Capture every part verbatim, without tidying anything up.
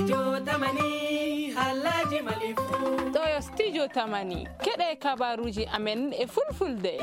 Jotamani, halaji malifu. Ɗo yo studio Tamani. Keɗe kabaruji amen e fulfulde.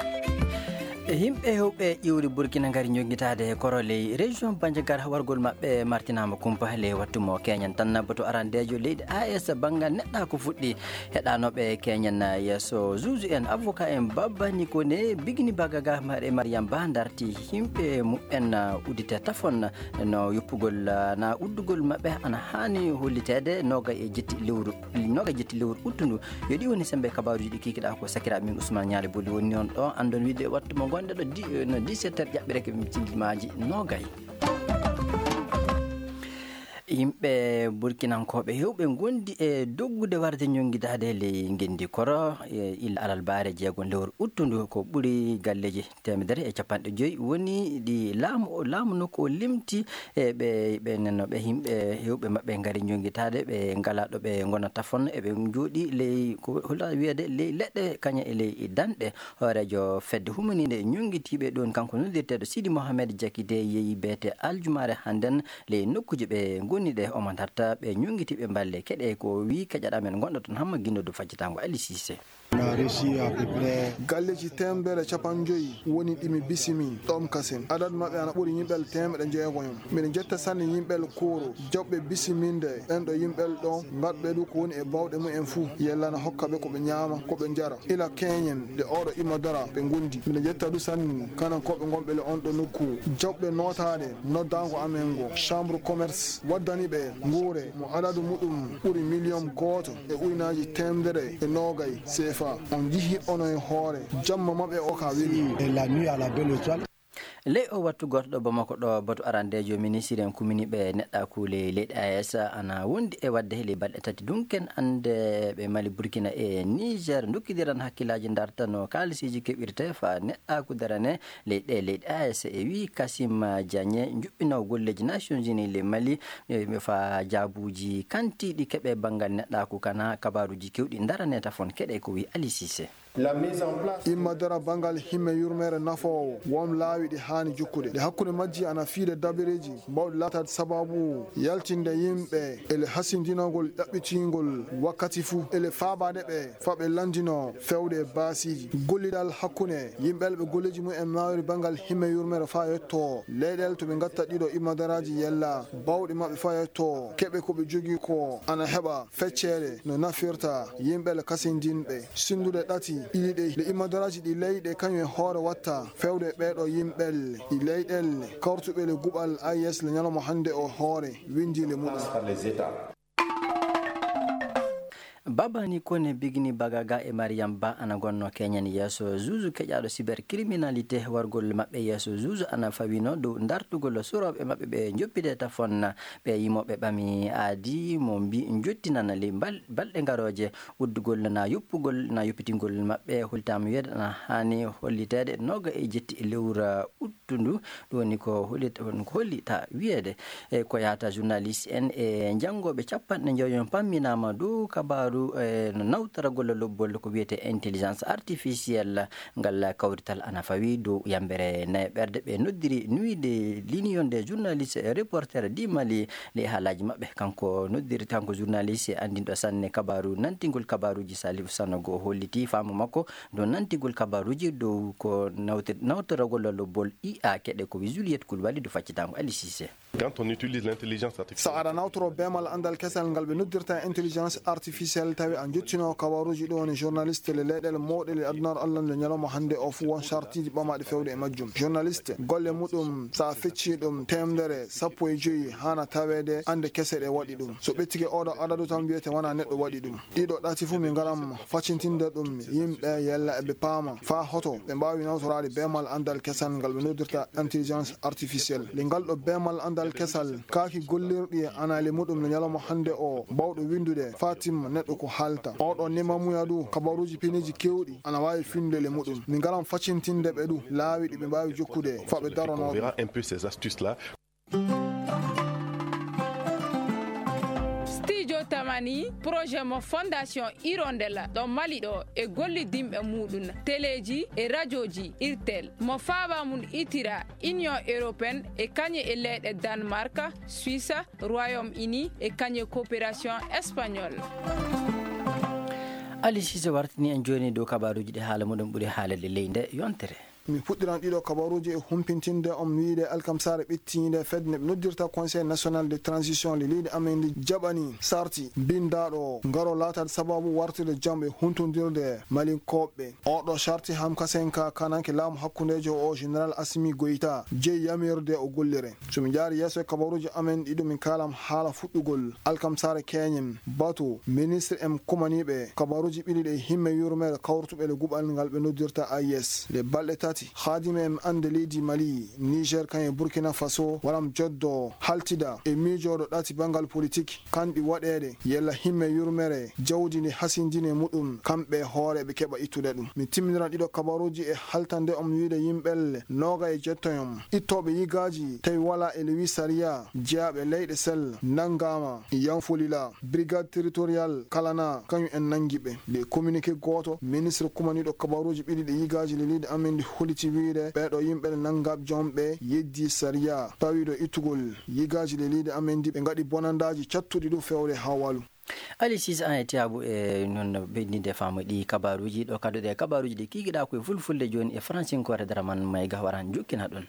E yimɓe hewɓe ƴiwri Burkina ngari jogitaade e koro ley région Bandiagara, wargol maɓɓe martinaama kumpa ley wattu mo keñen tan. Bato arandeejo leydi A S banngal neɗɗa ko fuɗɗi heɗanooɓe keñen yeeso juge en, avocat en, Babani Kone, Bigini Bagaga, Mare Mariam Ba darti yimɓe muɓɓen uddite tafon no yoppugol na uddugol maɓɓe ana haani holliteede noga e jetti lewru, noga e jetti lewru uttundu. Yo ɗi woni sembe kabaruji ɗi kikiɗa ko sakira min Ousmane Ñaale Boli woni on ɗo andon wiide wattu mo gonɗe ɗo di, no dix-sept heures ƴaɓɓireke min cindimaaji nogay. Yimɓe burkinankooɓe hewɓe ngondi e doggude warde ñongidaade ley ngenndi koro, e illa alarbaare jeegon lewru uttundu ko ɓuri galleeji teemedere e capanɗe joyi woni ɗi laamu o, laamu nokku o limti e ɓe, ɓe nenno ɓe yimɓe hewɓe maɓɓe ngari ñongitaade ɓe ngala ɗo ɓe ngonata fon eɓe jooɗi ley ko holla wiyeede ley leɗɗe kaña e ley danɗe. Hooreejo fedde humaniinde ñongitiiɓe ɗoon kanko noddirteeɗo Sidi Mohamed Jakite yeeyi beete aljumaare hannden ley nokkuuji ɓe ngoni ɗe omo darta ɓe ñongitiiɓe mballe keɗe ko wii keƴaɗa men gonɗo toon hamma ginnodo faccitaango Ali Sise. Galleeji teemedere capanɗe joyi woni ɗi mi bisimi ɗoon kasen. Adadu maɓɓe ana ɓuri yimɓe teemeɗe jeegoyom. Miɗo jetta sanne yimɓe kuuru jawɓe bisiminde ɓen ɗo yimɓe ɗo ngatɓe ɗu ko woni e bawɗe mumen fuu yella na hokka ɓe ko ɓe ñaama ko ɓe njara. Ila keñen nde oɗo imma dara ɓe ngondi. Miɗo jetta ɗu sanne kanankooɓe ngonɓe le on ɗo nokku. Jawɓe nootaade noddaango amen ngo chambre commerce waddani ɓe nguure mo adadu muɗum ɓuri miliyon gooto e uynaaji teemedere e noogay C F A. On njihi ono e hoore jamma maɓɓe o ka weli. Et la nuit à la belle étoile. Ley o wattu gooto ɗo Bamako ɗo batu arandeejo ministiri en kumini ɓe neɗɗa kuule leyɗe A S ana wondi e wadde ley balɗe tati dunken ande ɓe Mali, Burkina e Niger ndokkidiran hakkillaaji darta no kaalisiiji keɓirte fa neɗɗa kudarane ley ɗe leyɗe A S e wi Kasim Diagne njuɓɓinaw golleeji Nations Unies ley Mali, e, fa jaabuuji kantiiɗi keɓe banngal neɗɗaaku kana kabaaruuji kewɗi ndarane tafon keɗe ko wi Ali Cissé. Imma dara banngal himme yurmeere nafoowo won laawi ɗi haani jukkude. Ɗe hakkunde majji ana fiide dabireeji bawɗi laataade sababu yaltinde yimɓe ele hasindinagol ɗaɓɓitingol wakkati fuu ele faabaade ɓe fa ɓe lanndino fewde e baasiiji. Gollidal hakkunde yimɓe ɓe golleeji mum en maawiri banngal himme yurmeere faa yetto leyɗeele to ɓe ngatta ɗiɗo imma daraaji yella bawɗi maɓɓe faa yetto keɓe ko ɓe jogii ko ana heɓa feccere no nafirta yimɓe le kasindinɓe sindude ɗati ɗiɗi ɗe le immadaraaji ɗi leyɗe kañum e hoore watta fewde ɓeeɗo yimɓe le ɗi leyɗelle kawrutuɓe le guɓal A E S le ñalawma hannde o hoore winndi le muɗum. Babani Kone, Bigini Bagaga e Mariam Ba ana gonno keñen yeeso juge keƴaaɗo cybercriminalité. Wargol maɓɓe yeeso juge ana fawino dow dartugol surooɓe maɓɓe ɓe njoppide tafon. Ɓe yimooɓe ɓami aadi mo mbi jottinana ley bal-, balɗe ngarooje uddugol na yoppugol na yoppitingol maɓɓe holtaama wiyeede ana haani holliteede nooga e jetti e lewru uttundu. Ɗum woni ko hollit-, ko hollita wiyeede. E ko yahata journaliste en e janngooɓe capanɗe njoyon pamminaama dow kabaaru, e, no nawtoragol lobbol ko wiyetee intelligence artificielle. Ngal kawrital ana fawi dow yambere nayaɓerde ɓe noddiri Nuit de l'Union des journalistes et reporters du Mali. Ley haalaaji maɓɓe, kanko noddiri, kanko journaliste anndinɗo sanne kabaaru, nantingol kabaaruuji Salifu Sanogo holliti faamu makko dow nantingol kabaaruuji dow ko nawti-, nawtoragol lobbol I A keɗe ko wi Juliette Koulibaly dow faccitango Ali Cissé. Quand on utilise l'intelligence artificielle. So aɗa nawtoro beemal anndal kesal ngal ɓe noddirta intelligence artificielle, tawi a jottino kabaruuji ɗo woni journaliste le leyɗeele mawɗe le adunaaru Allah nde ñalawma hannde o fuu won sartiiji ɓamaaɗi fewde e majjum. Journaliste, golle muɗum, so a feccii ɗum, teemedere sappo e joyi haana taweede annde kese ɗe waɗi ɗum. So ɓettike oɗo adadu tan wiyete wona neɗɗo waɗi ɗum. Ɗiɗo ɗati fuu mi ngaram facintinde ɗum yimɓe yella eɓe paama faa hoto ɓe mbaawi nawtoraade beemal anndal kesal ngal ɓe noddirta intelligence artificielle. Le ngal ɗo beemal anndal kesal kaaki gollirɗi e anaali muɗum no ñalawma hannde o bawɗo winndude faa timma neɗɗo ko haalta. Oɗo nimamuya du kabaruuji piniiji keewɗi ana waawi finndude le muɗum. Mi ngaram facintinde ɓe du laawi ɗi ɓe mbaawi jokkude faa ɓe daronoo ɗum. On verra un peu ces astuces-là. Studio Jotamani projet mo Fondation Hirondella ɗo Mali ɗo e gollidinɓe muɗum teleeji e rajooji Irtel mo faaba mum itira Union Européenne e kañe e leyɗe Danemark, Suisse, Royaume-Uni e kañe coopération espagnole. Ali Sise wartini en jooni dow kabaaruuji ɗi haala muɗum ɓuri haalirde ley nde yontere. Mi fuɗɗiran ɗiɗo kabaruuji e humpintinde on wiide alkamsaare ɓittiinde fedde nde ɓe noddirta Conseil National de Transition le leydi amen ndi jaɓani sarti bindaaɗo o ngaro laataade sababu wartude jam e huntondirde Malinkooɓe. Oɗo sarti Hamkasenka kananke laamu hakkundeejo o Général Assimi Goïta jeyi yamirde o gollire. So mi jaari yeeso e kabaruuji amen ɗiɗo min kaalam haala fuɗɗugol alkamsaare keñen batu ministre en kumaniiɓe kabaruuji ɓiɗi ɗe himme yurmeere kawrutuɓe le guɓal ngal ɓe noddirta A I S. Le balɗe tati haadime en annde leydi Mali, Niger kan e Burkina Faso waram joddo haltida e miijooɗo ɗati banngal politik kanɗi waɗeede yella himme yurmere jawdi ndi hasindine muɗum kamɓe hooreɓe keɓa ittude ɗum. Mi timminiran ɗiɗo kabaruuji e haltande on wiide yimɓelle nooga e jettoyon ittooɓe yigaaji tawi wala e lewi sariya jeyaaɓe leyɗe sel nanngaama yanfolila brigade territorial kalana kañum en nanngi ɓe. Nde communiqué gooto ministre kumaniiɗo kabaruuji ɓiɗi ɗi yigaaji leliiɗe amen ndi holiti wiide ɓeeɗo yimɓe nde nanngaaɓe joom ɓe yeddi sariya tawiiɗo ittugol yigaaji leliiɗe amen ndi ɓe ngaɗi bonandaaji cattuɗi ɗum fewde haa walu. Ali Sise an e Tiyaabu e noon ɓeydinde faamu ɗi kabaruuji ɗo kadduɗe kabaruuji ɗi kikiɗa koye fulfulde jooni e fransinkoore dara man mayga waran jukkina ɗum.